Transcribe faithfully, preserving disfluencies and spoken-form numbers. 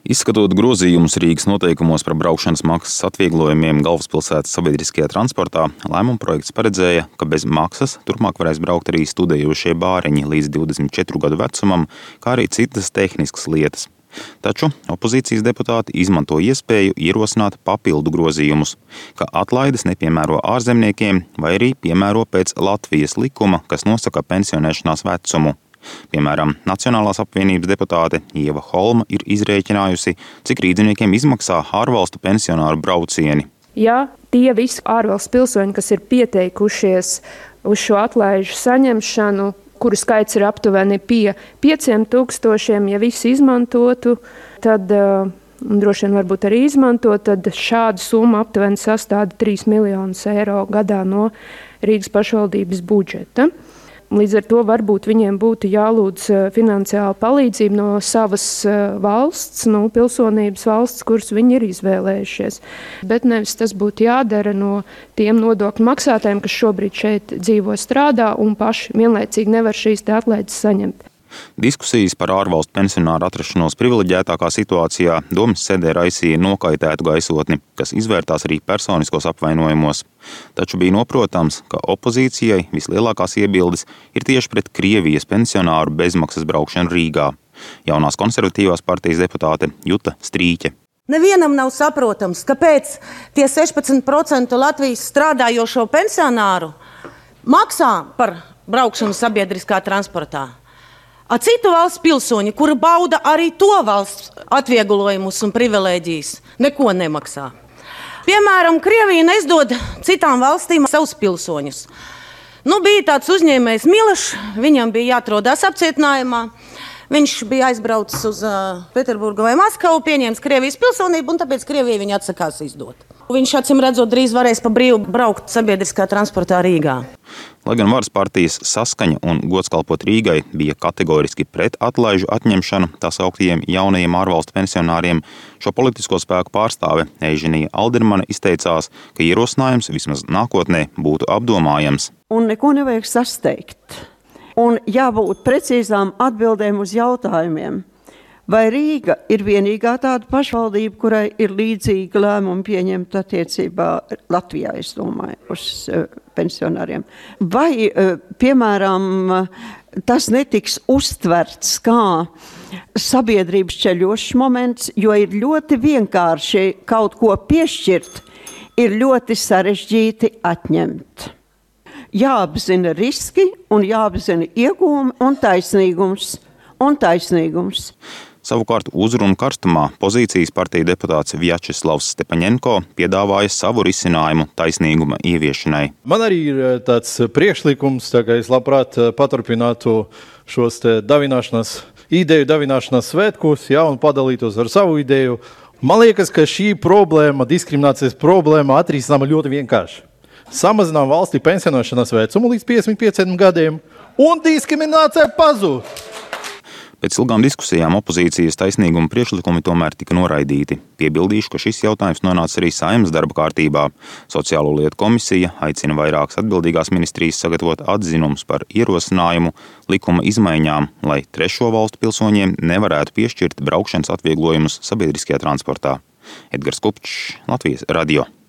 Izskatot grozījumus Rīgas noteikumos par braukšanas maksas atvieglojumiem galvaspilsētas sabiedriskajā transportā, lēmumprojekts paredzēja, ka bez maksas turpmāk varēs braukt arī studējošie bāriņi līdz divdesmit četru gadu vecumam, kā arī citas tehniskas lietas. Taču opozīcijas deputāti izmanto iespēju ierosināt papildu grozījumus, ka atlaides nepiemēro ārzemniekiem vai arī piemēro pēc Latvijas likuma, kas nosaka pensionēšanās vecumu. Piemēram, Nacionālās apvienības deputāte Ieva Holma ir izrēķinājusi, cik rīdziniekiem izmaksā ārvalstu pensionāru braucieni. Ja tie visi ārvalstu pilsoņi, kas ir pieteikušies uz šo atlaižu saņemšanu, kuru skaits ir aptuveni pie pieciem tūkstošiem, ja visi izmantotu, tad uh, droši vien varbūt arī izmantot, tad šāda summa aptuveni sastāda trīs miljonus eiro gadā no Rīgas pašvaldības budžeta. Līdz ar to varbūt viņiem būtu jālūdz finansiāla palīdzība no savas valsts, no pilsonības valsts, kuras viņi ir izvēlējušies. Bet nevis tas būtu jādara no tiem nodokļu maksātājiem, kas šobrīd šeit dzīvo, strādā un paši vienlaicīgi nevar šīs te atlaides saņemt. Diskusijas par ārvalstu pensionāru atrašanos privileģētākā situācijā domas sēdē raisīja nokaitētu gaisotni, kas izvērtās arī personiskos apvainojumos. Taču bija noprotams, ka opozīcijai vislielākās iebildes ir tieši pret Krievijas pensionāru bezmaksas braukšanu Rīgā. Jaunās konservatīvās partijas deputāte Juta Strīķe. Nevienam nav saprotams, kāpēc tie sešpadsmit procenti Latvijas strādājošo pensionāru maksā par braukšanu sabiedriskā transportā. A citu valsts pilsoņi, kuri bauda arī to valsts atvieglojumus un privilēģijas, neko nemaksā. Piemēram, Krievija neizdod citām valstīm savus pilsoņus. Nu, bija tāds uzņēmējs Milešs, viņam bija jāatrodās apcietinājumā. Viņš bija aizbraucis uz uh, Peterburgu vai Maskavu, pieņēmis Krievijas pilsonību, un tāpēc Krievija viņu atsakās izdot. Viņš, acīm redzot, drīz varēs pa brīvu braukt sabiedriskā transportā Rīgā. Lai gan varas partijas Saskaņa un Gods kalpot Rīgai bija kategoriski pret atlaižu atņemšanu tā sauktiem jaunajiem ārvalstu pensionāriem, šo politisko spēku pārstāve Eiženija Aldermane izteicās, ka ierosinājums vismaz nākotnē būtu apdomājams. Un neko nevajag sasteigt. Un jābūt precīzām atbildēm uz jautājumiem. Vai Rīga ir vienīgā tāda pašvaldība, kurai ir līdzīga lēmuma pieņemta attiecībā Latvijā, es domāju, uz uh, pensionāriem? Vai, uh, piemēram, uh, tas netiks uztverts kā sabiedrības ceļošs moments, jo ir ļoti vienkārši kaut ko piešķirt, ir ļoti sarežģīti atņemt. Jāapzina riski un jāapzina iegūmi un taisnīgums. Un taisnīgums. Savukārt uzrunu karstumā pozīcijas partija deputāts Vjačeslavs Stepaņenko piedāvāja savu risinājumu taisnīguma ieviešanai. Man arī ir tāds priekšlikums, tā kā es labprāt paturpinātu šos te davināšanas, ideju davināšanas svētkus, ja, un padalītos ar savu ideju. Man liekas, ka šī problēma, diskriminācijas problēma atrisināma ļoti vienkārši. Samazinām valstī pensionēšanās vecumu līdz piecdesmit pieciem gadiem un diskriminācija pazūd. Pēc ilgām diskusijām opozīcijas taisnīguma priekšlikumi tomēr tika noraidīti. Piebildīšu, ka šis jautājums nonāca arī Saeimas darba kārtībā. Sociālo lietu komisija aicina vairākas atbildīgās ministrijas sagatavot atzinumus par ierosinājumu likuma izmaiņām, lai trešo valstu pilsoņiem nevarētu piešķirt braukšanas atvieglojumus sabiedriskajā transportā. Edgars Kupčs, Latvijas radio.